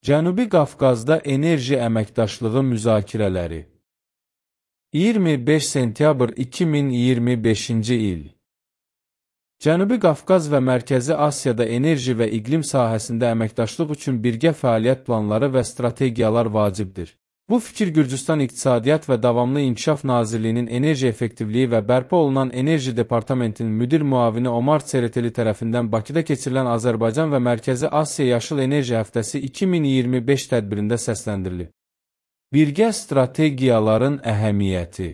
Cənubi Qafqazda enerji əməkdaşlığı müzakirələri 25 sentyabr 2025-ci il Cənubi Qafqaz və Mərkəzi Asiyada enerji və iqlim sahəsində əməkdaşlıq üçün birgə fəaliyyət planları və strategiyalar vacibdir. Bu fikir Gürcüstan İqtisadiyyat və Davamlı İnkişaf Nazirliyinin Enerji Effektivliyi və Bərpa olunan Enerji Departamentinin müdir müavini Omar Tsereteli tərəfindən Bakıda keçirilən Azərbaycan və Mərkəzi Asiya Yaşıl Enerji Həftəsi 2025 tədbirində səsləndirilib. Birgə strategiyaların əhəmiyyəti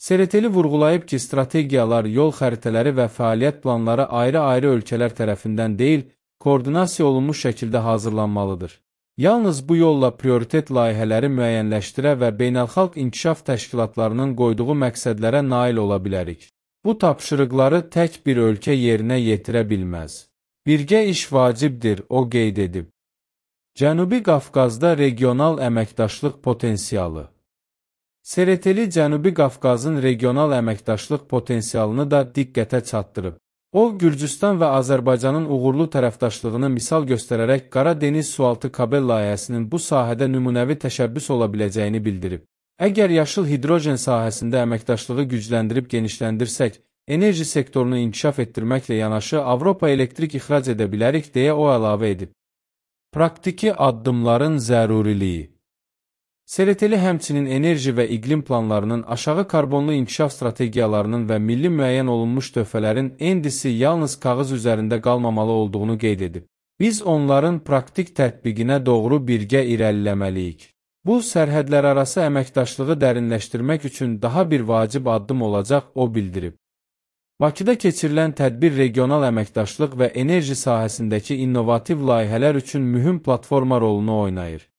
Tsereteli vurğulayıb ki, strategiyalar, yol xəritələri və fəaliyyət planları ayrı-ayrı ölkələr tərəfindən deyil, koordinasiya olunmuş şəkildə hazırlanmalıdır. Yalnız bu yolla prioritet layihələri müəyyənləşdirə və beynəlxalq inkişaf təşkilatlarının qoyduğu məqsədlərə nail ola bilərik. Bu tapşırıqları tək bir ölkə yerinə yetirə bilməz. Birgə iş vacibdir, o qeyd edib. Cənubi Qafqazda regional əməkdaşlıq potensialı Tsereteli Cənubi Qafqazın regional əməkdaşlıq potensialını da diqqətə çatdırıb. O, Gürcüstan və Azərbaycanın uğurlu tərəfdaşlığını misal göstərərək Qara Dəniz sualtı kabel layihəsinin bu sahədə nümunəvi təşəbbüs ola biləcəyini bildirib. Əgər yaşıl hidrojen sahəsində əməkdaşlığı gücləndirib genişləndirsək, enerji sektorunu inkişaf etdirməklə yanaşı Avropa elektrik ixrac edə bilərik, deyə o əlavə edib. Praktiki addımların zəruriliyi Tsereteli həmçinin enerji və iqlim planlarının, aşağı karbonlu inkişaf strategiyalarının və milli müəyyən olunmuş töhfələrin endisi yalnız kağız üzərində qalmamalı olduğunu qeyd edib. Biz onların praktik tətbiqinə doğru birgə irəliləməliyik. Bu, sərhədlərarası əməkdaşlığı dərinləşdirmək üçün daha bir vacib addım olacaq, o bildirib. Bakıda keçirilən tədbir regional əməkdaşlıq və enerji sahəsindəki innovativ layihələr üçün mühüm platforma rolunu oynayır.